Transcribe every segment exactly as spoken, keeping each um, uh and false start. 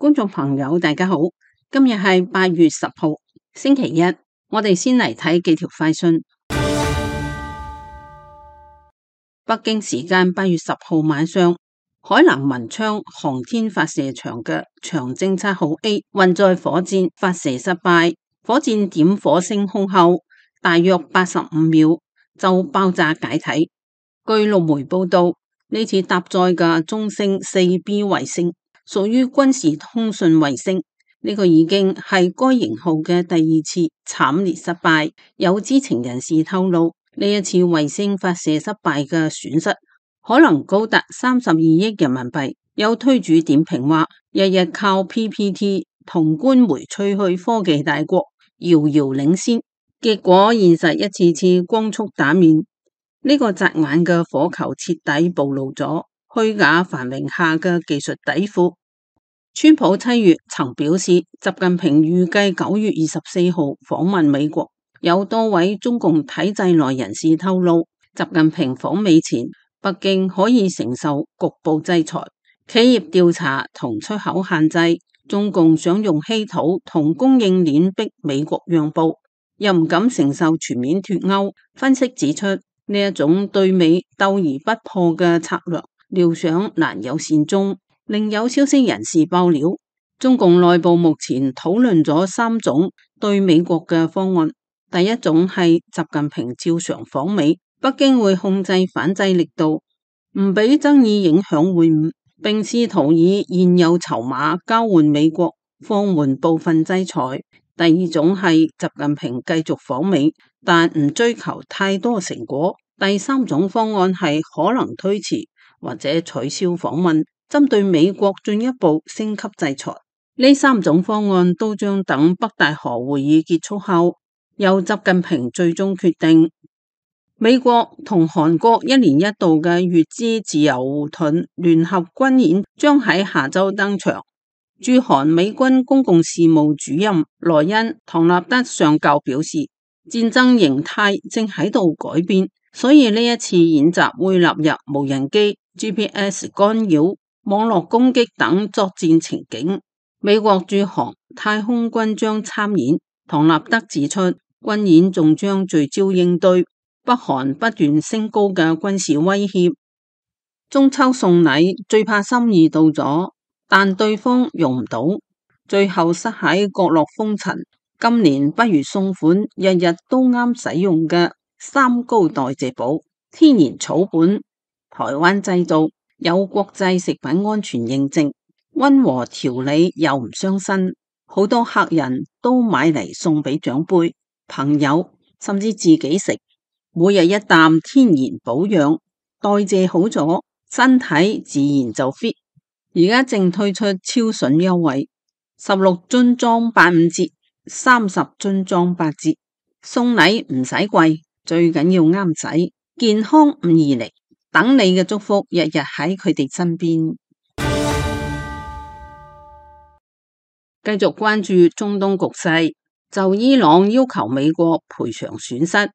觀眾朋友大家好，今日係八月十號星期一，我哋先嚟睇幾條快訊。北京時間八月十號晚上，海南文昌航天發射場嘅長征七號 A 運載火箭發射失敗，火箭點火升空後，大約八十五秒就爆炸解體。據陸媒報道，呢次搭載嘅中星四 B 衛星屬於軍事通訊衛星，呢、這個已經係該型號嘅第二次慘烈失敗。有知情人士透露，呢一次衛星發射失敗嘅損失可能高達三十二億人民幣。有推主點評話，日日靠 P P T 同官媒吹噓科技大國遙遙領先，結果現實一次次光速打面。呢個扎眼嘅火球徹底暴露咗虛假繁榮下嘅技術底褲。川普七月曾表示，習近平預計九月二十四號訪問美國。有多位中共體制內人士透露，習近平訪美前，北京可以承受局部制裁、企業調查同出口限制。中共想用稀土同供應鏈逼美國讓步，又唔敢承受全面脫歐。分析指出，呢一種對美鬥而不破嘅策略，料想難有善終。另有消息人士爆料，中共內部目前討論咗三種對美國嘅方案。第一種係習近平照常訪美，北京會控制反制力度，唔俾爭議影響會晤，並試圖以現有籌碼交換美國，放緩部分制裁。第二種係習近平繼續訪美，但唔追求太多成果。第三種方案係可能推遲或者取消訪問，針對美國進一步升級制裁。呢三種方案都將等北大河會議結束後，由習近平最終決定。美國同韓國一年一度嘅乙支自由護盾聯合軍演將喺下周登場。駐韓美軍公共事務主任萊恩·唐納德上校表示，戰爭形態正喺度改變，所以呢一次演習會納入無人機、G P S 干擾、網絡攻擊等作戰情景。美國駐韓太空軍將參演。唐納德指出，軍演仲將聚焦應對北韓不斷升高嘅軍事威脅。中秋送禮最怕心意到咗，但對方用唔到，最後塞喺角落封塵。今年不如送款日日都啱使用嘅三高代謝寶，天然草本，台灣製造，有國際食品安全認證，溫和調理又唔傷身。好多客人都買嚟送俾長輩、朋友，甚至自己食。每日一啖天然保養，代謝好咗，身體自然就 fit。而家正推出超筍優惠，十六樽裝八五折。三十樽裝八折，送禮唔使貴，最緊要啱使，健康唔易嚟，等你嘅祝福日日喺佢哋身邊。繼續關注中東局勢，就伊朗要求美國賠償損失，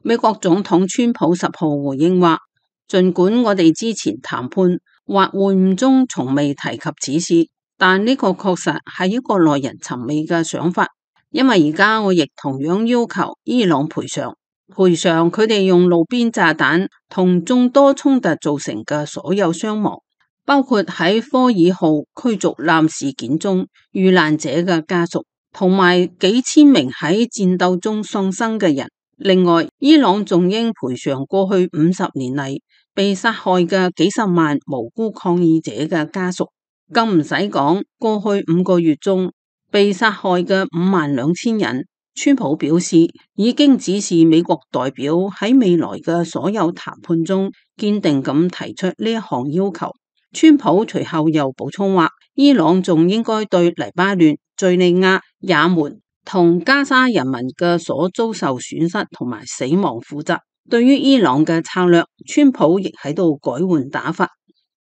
美國總統川普十號回應話，儘管我哋之前談判或會晤中從未提及此事，但呢個確實係一個耐人尋味嘅想法。因為而家我亦同樣要求伊朗賠償，賠償佢哋用路邊炸彈同眾多衝突造成嘅所有傷亡，包括喺科爾號驅逐艦事件中遇難者嘅家屬，同埋幾千名喺戰鬥中喪生嘅人。另外，伊朗仲應賠償過去五十年嚟被殺害嘅幾十萬無辜抗議者嘅家屬。更唔使講，過去五個月中被殺害嘅五萬兩千人，川普表示已經指示美國代表喺未來嘅所有談判中堅定咁提出呢一項要求。川普隨後又補充話，伊朗仲應該對黎巴嫩、敘利亞、也門同加沙人民嘅所遭受損失同埋死亡負責。對於伊朗嘅策略，川普亦喺度改換打法，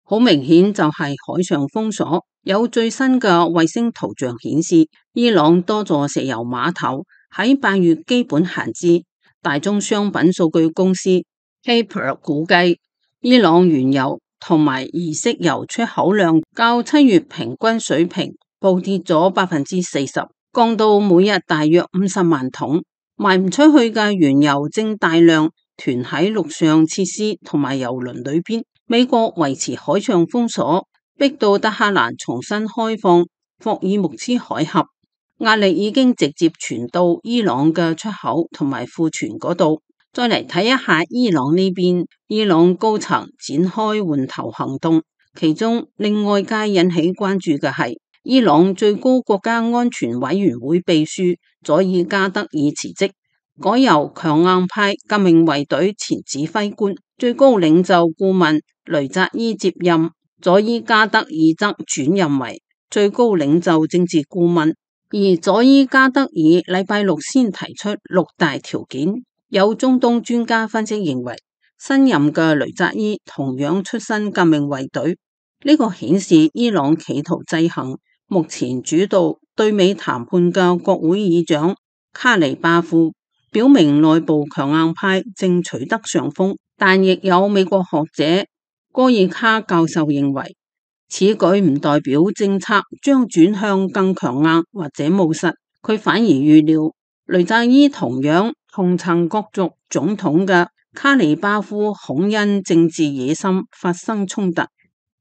好明顯就係海上封鎖。有最新嘅衛星圖像顯示，伊朗多座石油碼頭喺八月基本閒置。大宗商品數據公司 Caper 估計，伊朗原油同埋儀式油出口量較七月平均水平暴跌咗百分之四十，降到每日大約五十萬桶。賣唔出去嘅原油正大量囤喺陸上設施同埋油輪裏邊。美國維持海上封鎖，逼到德黑蘭重新開放霍爾木茲海峽，壓力已經直接傳到伊朗嘅出口同埋庫存嗰度。再嚟睇一下伊朗呢邊，伊朗高層展開換頭行動，其中令外界引起關注嘅係伊朗最高國家安全委員會秘書佐爾加德爾辭職，改由強硬派革命衛隊前指揮官、最高領袖顧問雷扎伊接任，佐爾加德爾則轉任為最高領袖政治顧問。而佐爾加德爾禮拜六先提出六大條件。有中東專家分析認為，新任嘅雷扎伊同樣出身革命衛隊，呢、這個顯示伊朗企圖制衡目前主導對美談判嘅國會議長卡尼巴夫，表明內部強硬派正取得上風。但亦有美國學者戈爾卡教授認為，此舉唔代表政策將轉向更強硬或者務實，佢反而預料雷扎伊同樣同曾角逐總統嘅卡尼巴夫恐因政治野心發生衝突，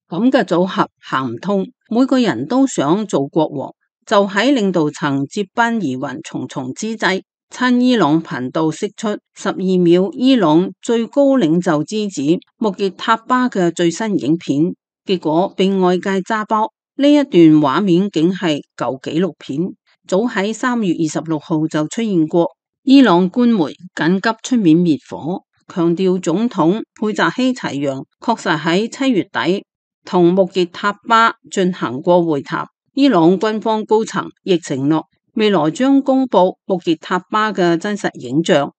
咁嘅組合行唔通。每個人都想做國王，就喺領導層接班疑雲重重之際，親伊朗頻道釋出十二秒伊朗最高領袖之子穆傑塔巴嘅最新影片，結果被外界揸包。呢一段畫面竟係舊紀錄片，早喺三月二十六號就出現過。伊朗官媒緊急出面滅火，強調總統佩扎希齊揚確實喺七月底同穆傑塔巴進行過會談。伊朗軍方高層亦承諾未來將公布穆傑塔巴嘅真實影像。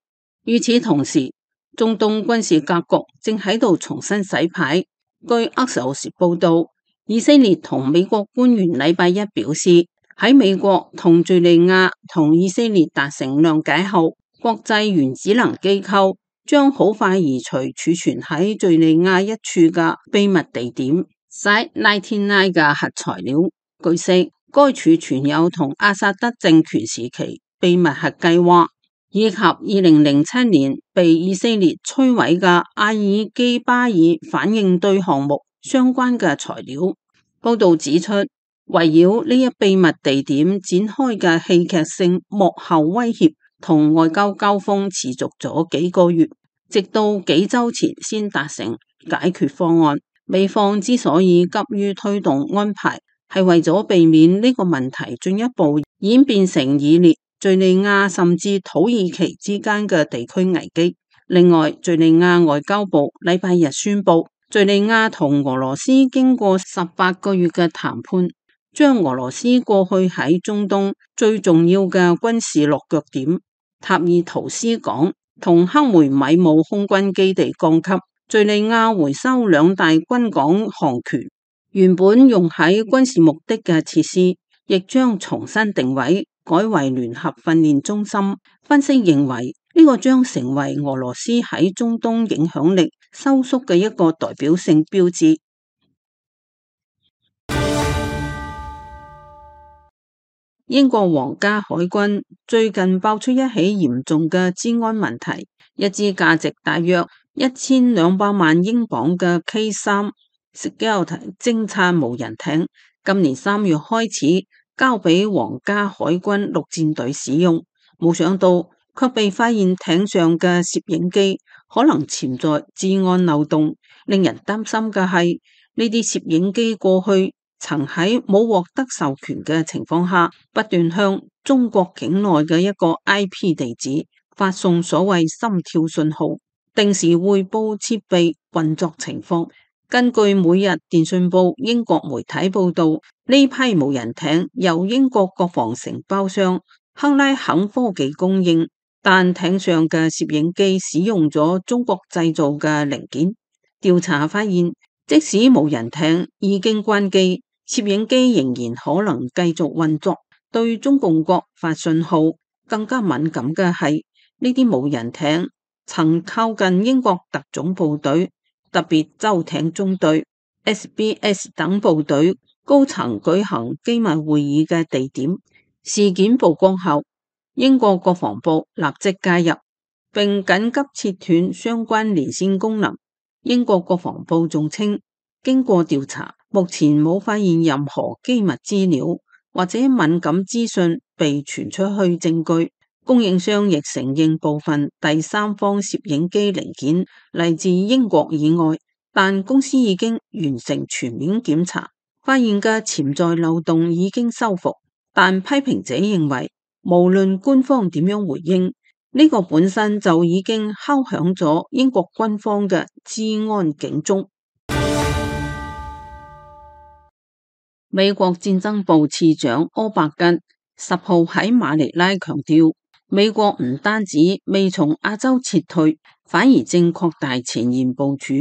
與此同時，中東軍事格局正喺度重新洗牌。據阿什奧時報道，以色列同美國官員禮拜一表示，喺美國同敘利亞同以色列達成諒解後，國際原子能機構將好快移除儲存喺敘利亞一處嘅秘密地點 Site 九十九嘅核材料。據悉，該儲存有同阿薩德政權時期秘密核計劃，以及二零零七年被以色列摧毀嘅阿爾基巴爾反應堆項目相關嘅材料。報道指出，圍繞呢一秘密地點展開嘅戲劇性幕後威脅同外交交鋒持續咗幾個月，直到幾周前先達成解決方案。美方之所以急於推動安排，係為咗避免呢個問題進一步演變成以列敘利亞甚至土耳其之間嘅地區危機。另外，敘利亞外交部禮拜日宣布，敘利亞同俄羅斯經過十八個月嘅談判，將俄羅斯過去喺中東最重要嘅軍事落腳點塔爾圖斯港同克梅米姆空軍基地降級，敘利亞回收兩大軍港航權，原本用喺軍事目的嘅設施亦將重新定位，改為聯合訓練中心。分析認為，呢個將成為俄羅斯喺中東影響力收縮嘅一個代表性標誌。英國皇家海軍最近爆出一起嚴重嘅資安問題，一支價值大約一千兩百萬英鎊嘅 K 三 Scout 偵察無人艇，今年三月開始交俾皇家海軍陸戰隊使用，冇想到卻被發現艇上嘅攝影機可能潛在資安漏洞。令人擔心嘅係，呢啲攝影機過去曾喺冇獲得授權嘅情況下，不斷向中國境內嘅一個 I P 地址發送所謂心跳信號，定時匯報設備運作情況。根據每日電訊報英國媒體報道，呢批無人艇由英國國防承包商克拉肯科技供應，但艇上嘅攝影機使用咗中國製造嘅零件。調查發現，即使無人艇已經關機，攝影機仍然可能繼續運作，對中共國發信號。更加敏感嘅係，呢啲無人艇曾靠近英國特種部隊、特別舟艇中隊、S B S 等部隊高層舉行機密會議嘅地點。事件曝光後，英國國防部立即介入，並緊急切斷相關連線功能。英國國防部仲稱，經過調查，目前冇發現任何機密資料或者敏感資訊被傳出去證據。供應商亦承認部分第三方攝影機零件嚟自英國以外，但公司已經完成全面檢查，發現嘅潛在漏洞已經修復。但批評者認為，無論官方點樣回應，呢個本身就已經敲響咗英國軍方嘅治安警鐘。美國戰爭部次長柯伯根十號喺馬尼拉強調，美國唔單止未從亞洲撤退，反而正擴大前沿部署，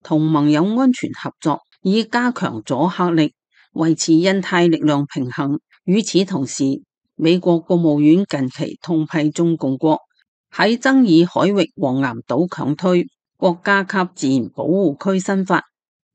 同盟友安全合作，以加強阻嚇力，維持印太力量平衡。與此同時，美國國務院近期痛批中共國喺爭議海域黃岩島強推國家級自然保護區新法，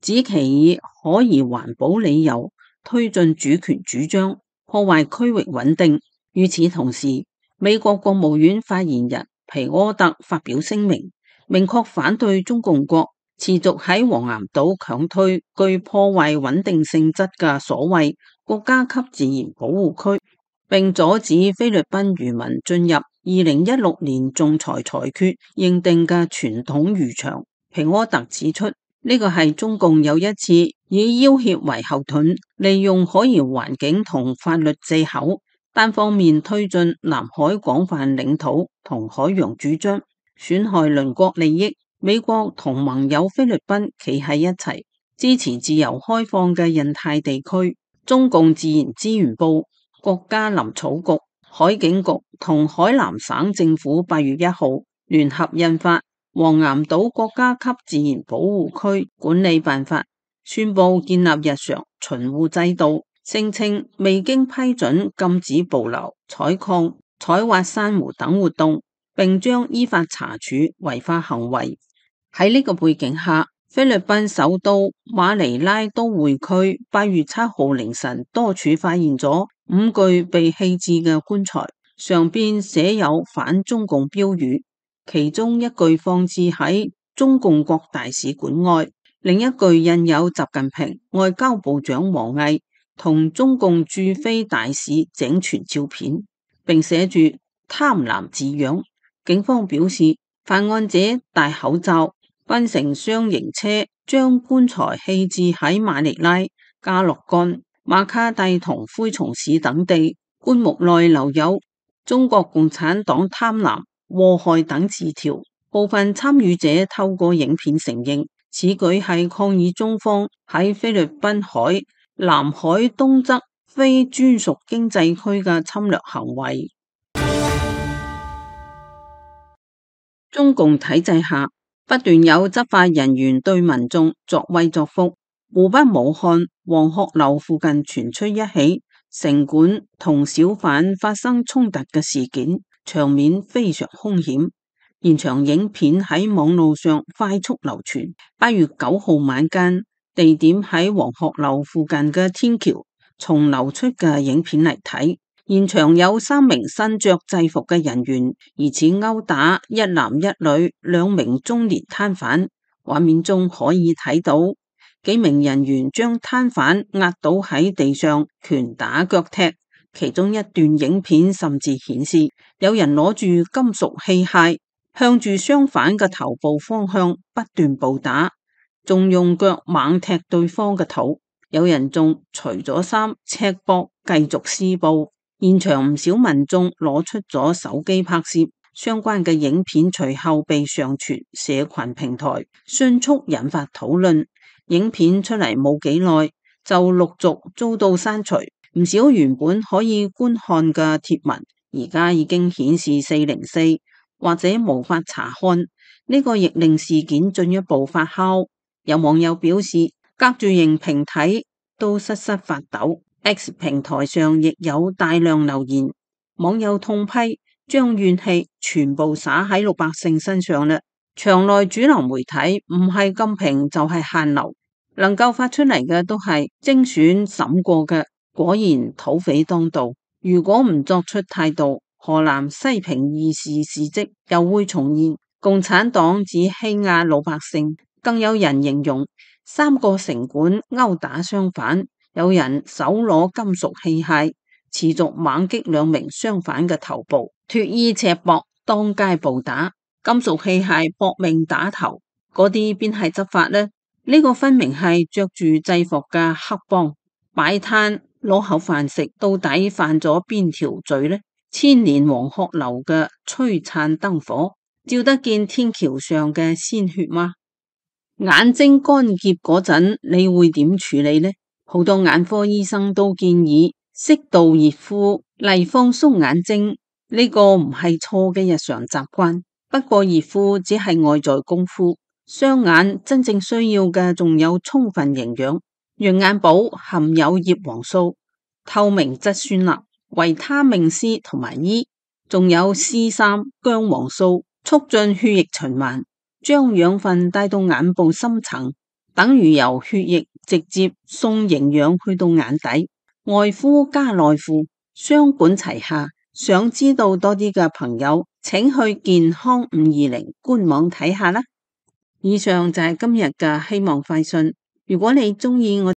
指其以可疑環保理由推進主權主張，破壞區域穩定。與此同時，美國國務院發言人皮柯特發表聲明，明確反對中共國持續喺黃岩島強推具破壞穩定性質嘅所謂國家級自然保護區，並阻止菲律賓漁民進入二零一六年仲裁裁決認定嘅傳統漁場。皮柯特指出，呢個係中共又一次以要挾為後盾，利用可疑環境同法律藉口，單方面推進南海廣泛領土同海洋主張，損害鄰國利益。美國同盟友菲律賓企喺一齊，支持自由開放嘅印太地區。中共自然資源部、國家林草局、海警局同海南省政府八月一號聯合印發《黃岩島國家級自然保護區管理辦法》，宣布建立日常巡護制度，聲稱未經批准禁止捕撈、採礦、採挖珊瑚等活動，並將依法查處違法行為。喺呢個背景下，菲律賓首都馬尼拉都會區八月七號凌晨多處發現咗五具被棄置嘅棺材，上邊寫有反中共標語，其中一具放置喺中共國大使館外，另一具印有習近平、外交部長王毅同中共駐菲大使井傳照片，並寫住貪婪字樣。警方表示，犯案者戴口罩，分成雙型車，將棺材棄置喺馬尼拉、加洛干、馬卡蒂同灰松市等地。棺木內留有中國共產黨貪婪、禍害等字條。部分參與者透過影片承認，此舉係抗議中方喺菲律賓海南海東側非專屬經濟區嘅侵略行為。中共體制下，不斷有執法人員對民眾作威作福。湖北武漢黃鶴樓附近傳出一起城管同小販發生衝突嘅事件，場面非常兇險。現場影片喺網路上快速流傳。八月九號晚間，地點喺黃鶴樓附近嘅天橋，從流出嘅影片嚟睇，現場有三名身着制服嘅人員疑似毆打一男一女兩名中年攤販。畫面中可以睇到幾名人員將攤販壓倒喺地上，拳打腳踢。其中一段影片甚至顯示有人攞住金屬器械向住相反嘅頭部方向不斷暴打，仲用腳猛踢對方嘅肚。有人仲除咗衫赤膊繼續施暴。現場唔少民眾攞出咗手機拍攝相關嘅影片，隨後被上傳社群平台，迅速引發討論。影片出嚟冇幾耐，就陸續遭到刪除。唔少原本可以觀看嘅貼文，而家已經顯示四零四，或者無法查看。呢個亦令事件進一步發酵。有網友表示，隔住螢屏睇都瑟瑟發抖。X 平台上亦有大量留言，網友痛批將怨氣全部灑喺老百姓身上啦。場內主流媒體唔係禁評就係限流，能夠發出嚟嘅都係精選審過嘅，果然土匪當道。如果唔作出態度，河南西平二事事蹟又會重現。共產黨只欺壓老百姓，更有人形容三個城管毆打商販，有人手攞金屬器械，持續猛擊兩名商販嘅頭部，脫衣赤膊，當街暴打，金屬器械搏命打頭，嗰啲邊係執法呢？呢、這個分明係着住制服嘅黑幫擺攤攞口飯食，到底犯咗邊條罪呢？千年黃鶴樓嘅璀璨燈火，照得見天橋上嘅鮮血嗎？眼睛乾澀嗰陣，你會點處理呢？好多眼科醫生都建議適度熱敷嚟放鬆眼睛，呢個唔係錯嘅日常習慣。不過熱敷只係外在功夫，雙眼真正需要嘅仲有充分營養。羊眼寶含有葉黃素、透明質酸鈉、維他命 C 同埋 E， 仲有 C 三 薑黃素，促進血液循環，將養分帶到眼部深層，等於由血液直接送營養去到眼底。外敷加內敷，雙管齊下。想知道多啲嘅朋友，請去健康五二零官網睇下啦。以上就係今日嘅希望快訊。如果你鍾意我